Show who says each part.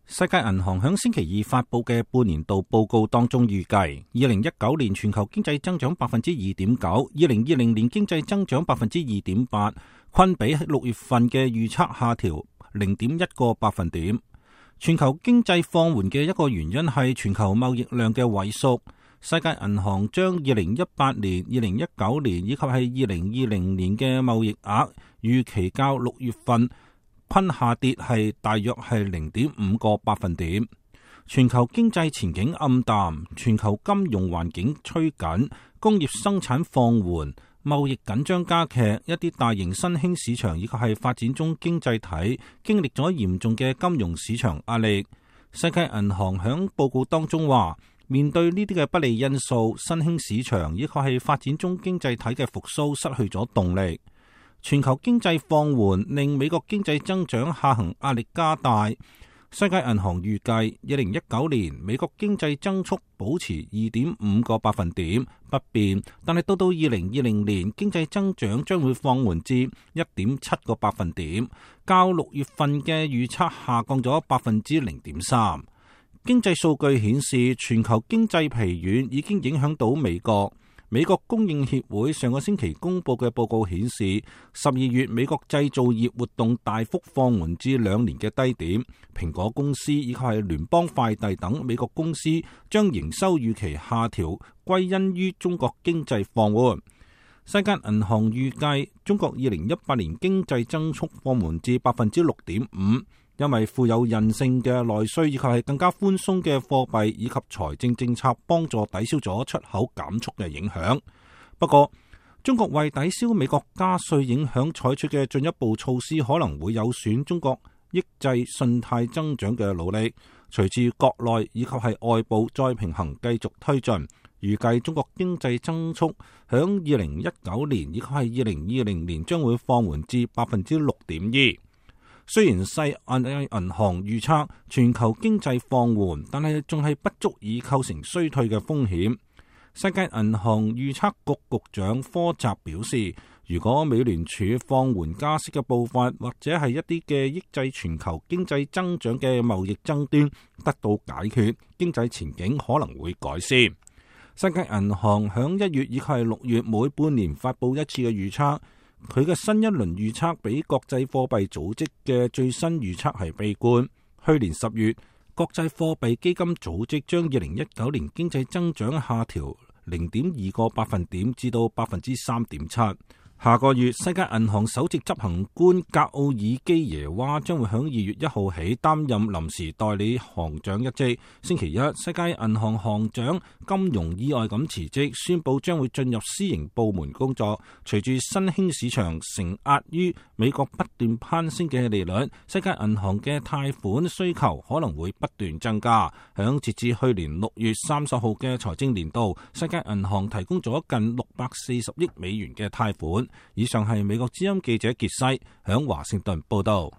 Speaker 1: 世界銀行響星期二發布嘅半年度報告當中預計，2019年全球經濟增長 2.9%，2020年經濟增長 2.8%， 均比6月份嘅預測下調 0.1個百分點。全球經濟放緩嘅一個原因係全球貿易量嘅萎縮。世界銀行將2018年、2019年以及係2020年嘅貿易額預期較6月份均下跌係大約係 0.5個百分點。全球經濟前景暗淡，全球金融環境趨緊，工業生產放緩，貿易緊張加劇，一啲大型新興市場以及係發展中經濟體經歷咗嚴重嘅金融市場壓力。世界銀行響報告當中話，面對呢啲嘅不利因素，新興市場以及係發展中經濟體嘅復甦失去咗動力。全球經濟放緩令美國經濟增長下行壓力加大。世界銀行預計2019年美國經濟增速保持 2.5個百分點不變，但係到2020年經濟增長將會放緩至 1.7個百分點，較6月份嘅預測下降咗 0.3%。經濟數據顯示，全球經濟疲軟已經影響到美國。美國供應協會上個星期公布嘅報告顯示，12月美國製造業活動大幅放緩至2年嘅低點。蘋果公司以及係聯邦快遞等美國公司將營收預期下調，歸因於中國經濟放緩。世界銀行預計中國2018年經濟增速放緩至 6.5%。因為富有韌性嘅內需以及係更加寬鬆嘅貨幣以及財政政策幫助抵消咗出口減速嘅影響。不過，中國為抵消美國加稅影響採取嘅進一步措施可能會有損中國抑制信貸增長嘅努力。隨住國內以及係外部再平衡繼續推進，預計中國經濟增速響2019年以及係2020年將會放緩至 6.2%。雖然世界銀行預測全球經濟放緩，但係仲係不足以構成衰退嘅風險。世界銀行預測局局長科澤表示，如果美聯儲放緩加息嘅步伐，或者係一啲嘅抑制全球經濟增長嘅貿易爭端得到解決，經濟前景可能會改善。世界銀行響1月以及係6月每半年發佈一次嘅預測。佢嘅新一輪預測比國際貨幣組織嘅最新預測係悲觀。去年10月，國際貨幣基金組織將2019年經濟增長下調 0.2個百分點至到 3.7%。下個月，世界銀行首席執行官格奧爾基耶娃將會響2月1號起擔任臨時代理行長一職。星期一，世界銀行行長金融意外咁辭職，宣布將會進入私營部門工作。隨住新興市場承壓於美國不斷攀升嘅利率，世界銀行嘅貸款需求可能會不斷增加。響截至去年6月30號嘅財政年度，世界銀行提供咗近640億美元嘅貸款。以上係美國之音記者傑西響華盛頓報道。